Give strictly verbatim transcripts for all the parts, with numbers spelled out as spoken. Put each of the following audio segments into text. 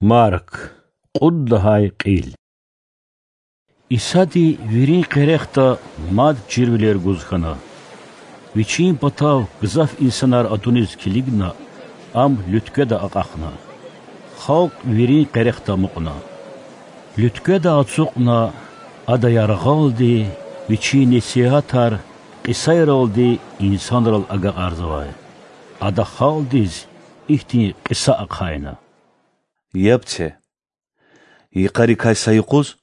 Марк, кьуд лагьай кьил. Исади вирин къерехда мад чирвилер гуз хьана. Вичин патав гзаф инсанар атуниз килигна, Ам луьткведа акьахна. Халкь вирин къерехда амукьна. Луьткведа ацукьна, Ада яргъалди Вичин несигьатар кьисайралди инсанрал агакьарзавай. Ада халкьдиз ихьтин кьиса ахъайна: Яб це! Йикъарикай са юкъуз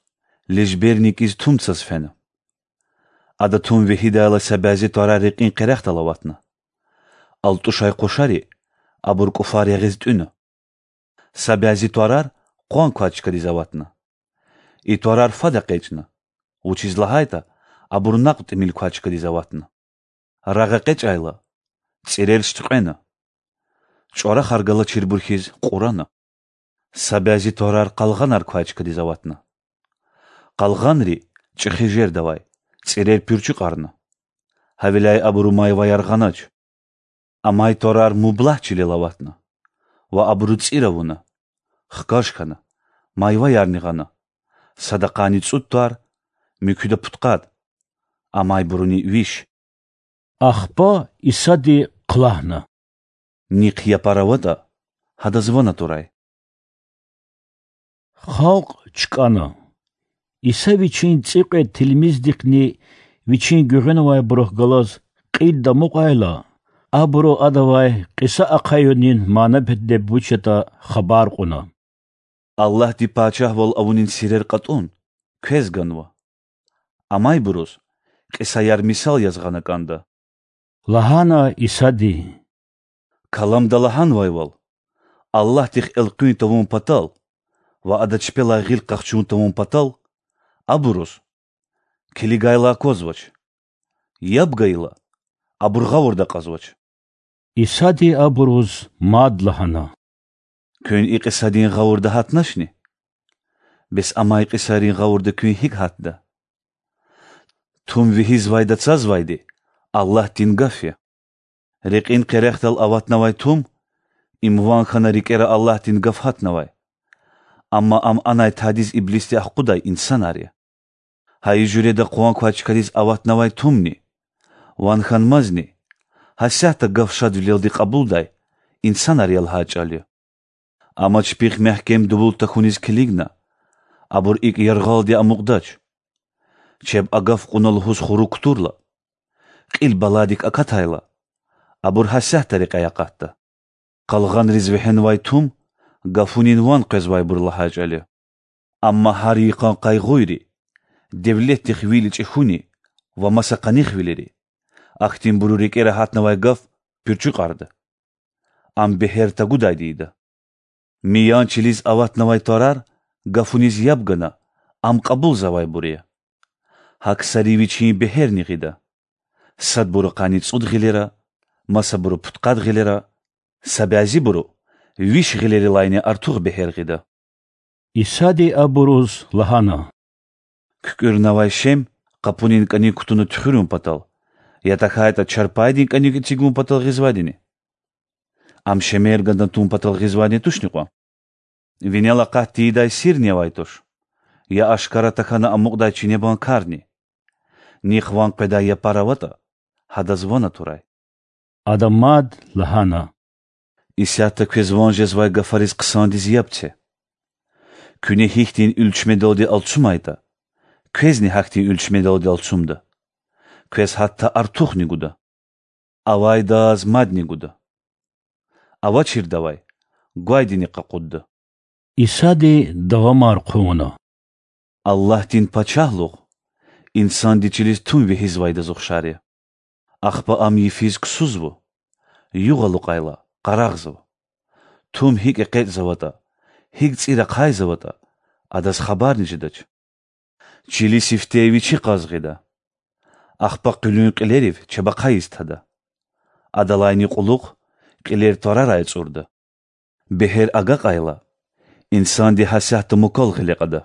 лежберни кӀиз тум цаз фена. Ада тум вегьидайла са бязи тварар рекьин къерехдал аватна. АлтӀушай къушари абур кӀуфар ягъиз тӀуьна. Са бязи тварар къван квай чкадиз аватна. И тварар фад экъечӀна, вучиз лагьайтӀа абур накьв тӀимил квай чкадиз аватна. Рагъ экъечӀайла, цӀирер шуьткьвена, чӀварахар галачирбур хьиз кьурана. Са бязи тварар къалгъанар квай чкадиз аватна. Къалгъанри чӀехи жердавай, цӀирер пуьрчуькьарна. Гьавиляй абуру майваяр гъанач. Амай тварар мублагь чилел аватна ва абуру цӀир авуна, хкаж хьана, майваярни гъана, садакьайни цӀуд твар, муькуьда пудкъад, амайбуруни виш. Ахпа Исади хълагьна: Нихъ япар аватӀа, гьадаз ван атурай. Халкь чкӀана. Иса Вичин цӀикьвед тилмиздихъни Вичин гуьгъуьнавайбурухъ галаз кьилди амукьайла, абуру Адавай кьиса ахъаюнин мана-метлеб вуч ятӀа хабар кьуна: Аллагьди пачагьвал авунин сирер кьатӀун квез ганва. Амайбуруз кьисаяр мисал яз гъана кӀанда,– лагьана Исади. Каламда лагьанвайвал: Аллагьдихъ элкъуьн тавун патал ва Ада чпелай гъил къахчун тавун патал абуруз: килигайла аквазвач, яб гайила абур гъавурда акьазвач. Исади абуруз мад лагьана: Куьн и кьисадин гъавурда гьатначни? Бес амай кьисайрин гъавурда куьн гьикӀ гьатда? Тум вегьизвайда цазвайди Аллагьдин Гаф я. Рекьин къерехдал аватнавай тум— им ван хьана рикӀера Аллагьдин Гаф гьатнавай, амма ам анай тадиз иблисди ахкъудай инсанар я. Гьа и жуьреда къван квай чкадиз аватнавай тумни— ван хьанмазни— гьасятда Гаф шадвилелди кьабулдай инсанар я лагьай чӀал я. Амма чпихъ мягькем дувул тахьуниз килигна, абур икӀ яргъалди амукьдач. Чеб агаф кьуна лугьуз хурук кутурла, кьил баладик акатайла, абур гьасятда рекьяй акъатда. Къалгъанриз вегьенвай тум гафунин ван къвезвайбур лагьай чӀал я. Амма гьар йикъан къайгъуйри, девлетдихъ вил ичӀи хьуни ва маса къанихвилери— ахьтинбуру рикӀера гьатнавай гаф пуьрчуькьарда. Ам бегьер тагудайди ийида. Миян чилиз аватнавай тварар гафуниз яб гана ам кьабулзавайбур я. Гьа ксари вичин бегьерни гъида: садбуру къанни цӀуд гъилера, масабуру пудкъад гъилера, са бязибуру виш гъилерилайни артух бегьер гъида. Исади абуруз лагьана: КуькӀуьрнавай шем къапунин кӀаник кутуна туьхуьрун патал, я тахьайтӀа чарпайдин кӀаник эцигун патал гъизвайдини? Ам шемер гана тун патал гъизвайди тушни кьван? Винел акъат тийидай сирни авай туш, я ашкара тахьана амукьдай чинебан карни. Нихъ ван къведай япар аватӀа, гьадаз ван атурай. Ада мад лагьана: Исятда квез ван жезвай гафариз хъсандиз яб це. Куьне гьихьтин уьлчмедалди алцумайтӀа, квезни гьахьтин уьлчмедалди алцумда, квез гьатта артухни гуда. Авайдаз мадни гуда, авачирдавай гвайдини къакъудда. Исади давамар хъувуна: Аллагьдин Пачагьлугъ инсанди чилиз тум вегьизвайдаз ухшар я. Ахпа ам йифиз ксузва, югъ алукьайла, къарагъзава. Тум гьикӀ экъечӀзаватӀа, гьикӀ цӀир ахъайзаватӀа, адаз хабарни жедач. Чили сифте вичи кьаз гъида, ахпа къуьлуьн кьилерив чабахъай йис тада. Адалайни кьулухъ кьилер тварарай ацӀурда. Бегьер агакьайла, инсанди гьасятда мукал гъиле кьада,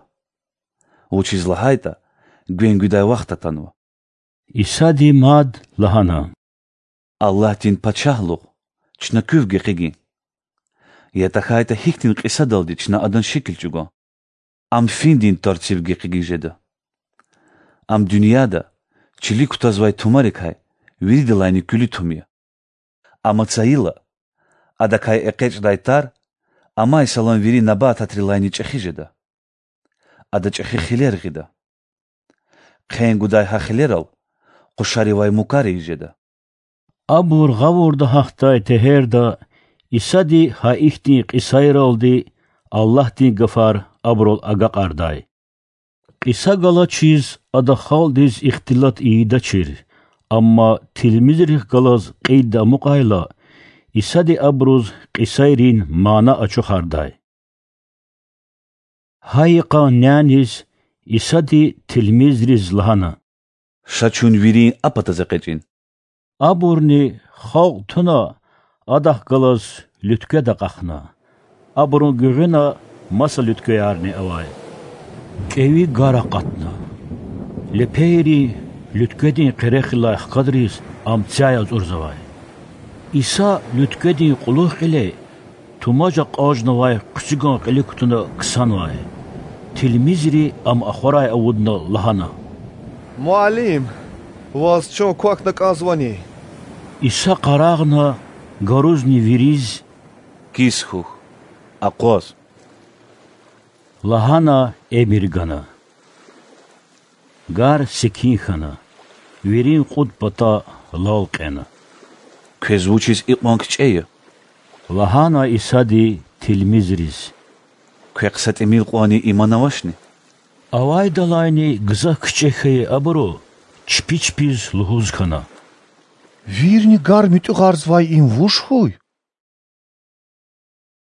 вучиз лагьайтӀа гвен гуьдай вахт атанва. Исади мад лагьана: Аллагьдин Пачагьлугъ чна куьв гекъигин. Я тахьайтӀа гьихьтин кьисадалди чна Адан шикил чӀугун? Ам финдин тарцив гекъигиз жеда. Ам дуьньяда чилик кутазвай тумарикай виридалайни куьлуь тум я. Амма цайила Адакай экъечӀдай тар амай салам вири набататрилайни чӀехи жеда. Ада чӀехи хилер гъида. Хъен гудай гьа хилерал къушаривай мукар ийиз жеда. Абур гъавурда гьахьдай тегьерда Исади гьа ихьтин кьисайралди Аллагьдин гафар абурал агакьардай. Кьиса галачиз Ада халкьдиз ихтилат ийидачир, амма тилмизрихъ галаз кьилди амукьайла, Исади абуруз кьисайрин мана ачухардай. Гьа йикъан няниз Исади тилмизриз лагьана: Ша чун вирин а патаз экъечӀин. Абурни, халкь туна, Адахъ галаз луьтквед акьахна. Абурун гуьгъуьна маса луьтквеярни авай. КӀеви гар акъатна. Лепейри луьткведин къерехрилай хкадриз ам цяй ацӀурзавай. Иса луьткведин кьулухъ кьиле тумаж акьажнавай хъуьцуьган кьилик кутуна ксанвай. Тилмизри Ам ахварай авудна лагьана: Муаллим, Ваз чун квахьна кӀанзавани? Иса къарагъна, гарузни вириз: Кис хьухь, акъваз,— лагьана эмир гана. Гар секин хьана, вирин кьуд пата лал кьена. Квез вучиз икьван кичӀе я? лагьана Исади тилмизриз. Квехъ са тӀимил кьванни иман авачни? Авайдалайни гзаф кичӀе хьайи абуру чпи чпиз лугьуз хьана: Вирни гар муьтӀуьгъарзавай им вуж хьуй?